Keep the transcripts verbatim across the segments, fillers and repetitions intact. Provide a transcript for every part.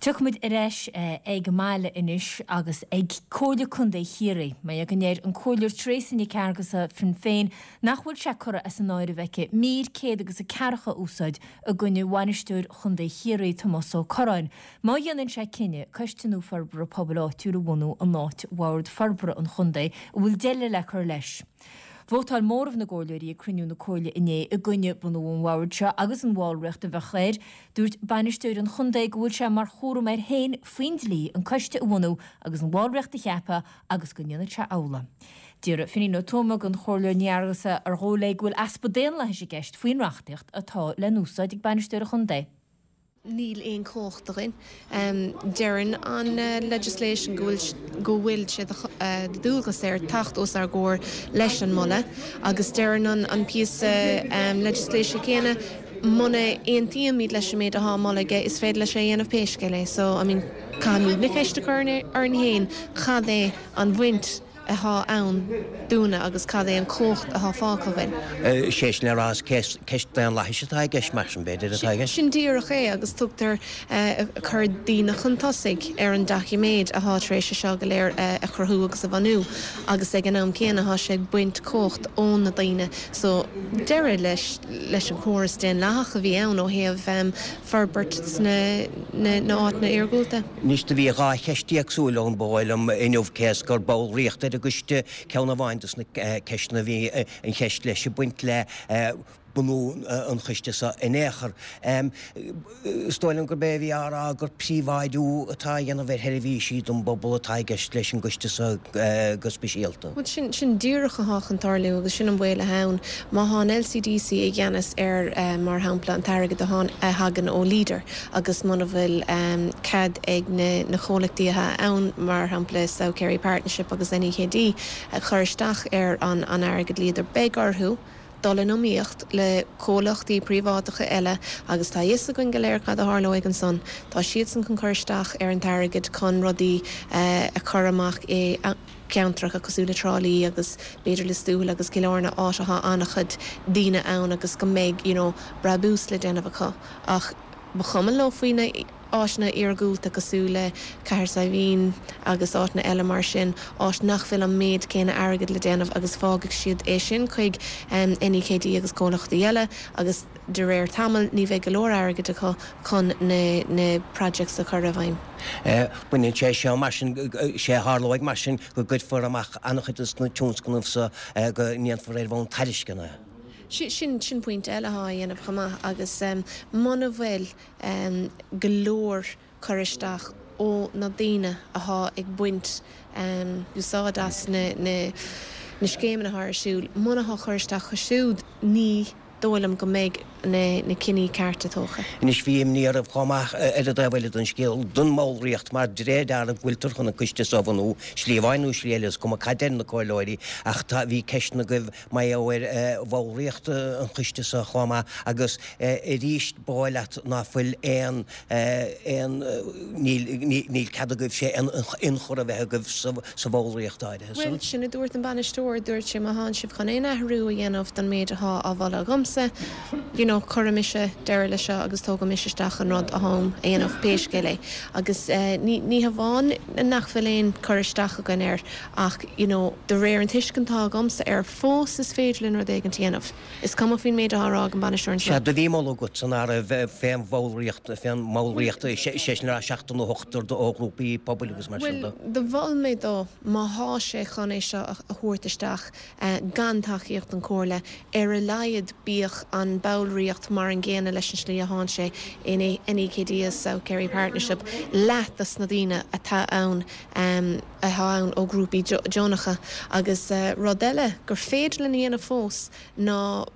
Tiocfaimid ar ais ag an mbaile anois agus ag Comhairle Contae Chiarraí. Mar go ndeir an Comhairleoir Teresa Nic Fhearghusa Shinn Féin nach bhfuil sé curtha as an áireamh aici mír céad agus a ceathracha a úsáid i gcoinne bhainisteoir Chontae Chiarraí Tomás Ó Curráin. Má dhéanann sé cinneadh coiste nua forbartha pobail áitiúil a bhunú in áit Bhord Forbartha an Chontae a bhfuil deireadh le cur leis. Vótáil móramh na gcomhairleoirí ag cruinniú na Comhairle inné i gcoinne bunú an bhoird seo agus an bhallraíocht a bheadh air. Dúirt bainisteoir an chontae go bhfuil sé mar chúram air féin faoin dlí an coiste a bhunú agus an bhallraíocht a cheapadh agus go ndéanfaidh sé amhlaidh. D'iarr Finín Ó Tuama den Chomhairleoir Ní Fhearghusa ar dhóigh léi go bhfuil easpa daonlathais i gceist faoin reachtaíocht atá le n-úsáid ag bainisteoir an chontae. Níl aon chumhacht againn. Deireann an legislation go bhfuil go bhfuil sé de dhualgas air teacht os ár gcomhair leis an moladh agus deireann an an píosa legislation céanna muna aontaímid leis an méid atá á mholadh aige is féidir leis é a dhéanamh pé scéal é. So I mean caithfimid na ceist a chur orainn féin cad é an bhaint atá ann dúinne agus cad é an chumhacht atá fágtha againn. Sé sin le rá is ceist daonlathais atá i gceist mar sin b'fhéidir atá i gceist. Sin díreach é agus tugtar cur daoine chun tosaigh ar an doiciméad atá tar éis seo go léir a chruthú agus a bhunú agus ag an am céanna tá sé ag baint cumhacht ó na daoine so deireadh leis leis an chóras daonlathach a bhí ann ó thaobh forbairt sna na háiteanna iargúlta. Anois do bhí dhá cheist éagsúil ann ba dhóigh liom inniu cé is gur ballraíocht ar an gcoiste ceann amháin dos na ceisteanna bhí an cheist leis ag baint le bunú an choiste seo in aon chor. Is dóigh liom gurb é a bhí á rá gur príobháidiú atá á dhéanamh ar sheirbhísí don bpobal atá i gceist leis an gcoiste seo go speisialta. Bhuel sin sin díreach atá chun tarlú agus sin an baol atá ann. Má tá an LCDC i gceannas ar mar shampla an t-airgead a thagann ó Leader agus muna bhfuil cead ag na na comhlachtaí atá ann mar shampla South Kerry Partnership agus NEKD a chur isteach ar an an airgead Leader beidh orthu dul in iomaíocht le comhlachtaí príobháideacha eile agus tá a fhios againn go léir cad a tharlóidh ansan. Tá siadsan chun cur isteach ar an t-airgead chun rudaí a chur amach i gceantracha cosúil le Trá Lí agus b'fhéidir Lios Tuathail agus Cill Airne áit atá an-chuid daoine ann agus go mbeidh you know brabús le déanamh acu ach ba chuma leo faoi na áiteanna iargúlta cosúil le Cathair Saidhbhín agus áiteanna eile mar sin, áit nach bhfuil an méid céanna airgid le déanamh agus fágfaidh siad é sin chuig NEKD agus comhlachtaí eile agus de réir tamaill ní bheidh go leor airgid acu chun na na projects a chur i bhfeidhm. Baineann sé seo mar sin, sé a tharlóidh mar sin go gcuirfear amach an-chuid de na tionscnaimh seo go ndéanfar ar bhonn tairisceana. Sin sin pointe eile atá á dhéanamh chomh maith agus muna bhfuil go leor cur isteach ó na daoine atá ag baint úsáid as na na scéimeanna atá ar siúl, muna tá cur isteach acu siúd ní dóigh liom go mbeidh na na cinní cearta tógtha. Anois bhí imní oraibh chomh maith ar an dtaobh eile den scéal, don mballraíocht mar de réir dealraimh go bhfuiltear chun an coiste seo a bhunú, slí amháin nó slí eile, is cuma cad deir na comhairleoirí, ach tá, bhí ceisteanna agaibh mar gheall ar bhallraíocht an choiste seo chomh maith agus arís ba dhóigh leat ná fuil aon, aon, níl, níl cead agaibhse aon ionchur a bheith agaibh sa, sa bhallraíocht áirithe san. Bhuel, sin a dúirt an bainisteoir, dúirt sé má thánn sibh chun aon athrú a dhéanamh don méid athá á mholadh agamsa, you know, cuirfidh mise deireadh leis seo agus tógfaidh mise isteach an rud atháim a dhéanamh, pé scéal é. Agus ní, ní hamháin nach bhfuil aon cur isteach againn air ach, you know, de réir an tuiscint atá agamsa air, fós is féidir linn rud éigint a dhéanamh. Is cuma faoin méid atá á rá ag an bainisteoir anseo. Sea, do bhí moladh agat san áireamh fén bhallraíocht, fén mballraíocht, sé sin le rá seachtar nó ochtar ó ghrúpaí pobail agus mar sin de. Bhuel, do mhol mé dó, má thá sé chun é seo a thabhairt isteach gan tacaíocht an Chomhairle, ar a laghad bíodh an ballraíocht mar an gcéanna leis an slí a thánn sé in NEKD is South Kerry Partnership, leath dos na daoine atá ann atá ann ó ghrúpaí deonacha. Agus rud eile gur féidir linn a dhéanamh fós ná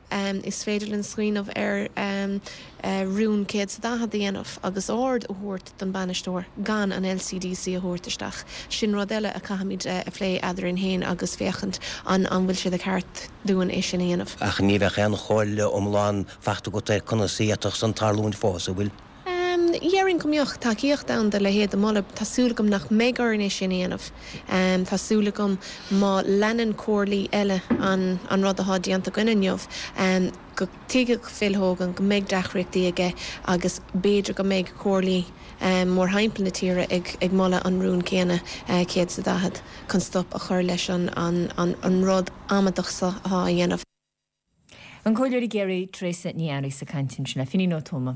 is féidir linn smaoineamh ar rún céad 's a daichead a dhéanamh agus ord a thabhairt don bhainisteoir gan an LCDC a thabhairt isteach. Sin rud eile a chaithfimid a phlé eadrainn féin agus féachaint an an bhfuil sé de cheart dúinn é sin a dhéanamh. Ach ní bheadh aon chomhairle iomlán fachta agat ar conas a d'fhéadfadh san tarlúint fós, an bhfuil? Dhéarfainn go mbeadh tacaíocht ann do leithéid de mholadh. Tá súil agam nach mbeidh orainn é sin a dhéanamh. Tá súil agam má leanann comhairlí eile an an rud atá déanta againn inniu, go dtuigfidh Phil Hogan go mbeidh deacrachtaí aige agus b'fhéidir go mbeidh comhairlí mórthimpeall na tíre ag ag moladh an rún céanna céad is a daichead chun stop a chur leis an an an an rud amaideach seo atá á dhéanamh. An Comhairleoir i gCiarraí Teresa Ní Fhearraigh ag caint ansin le Finín Ó Tuama.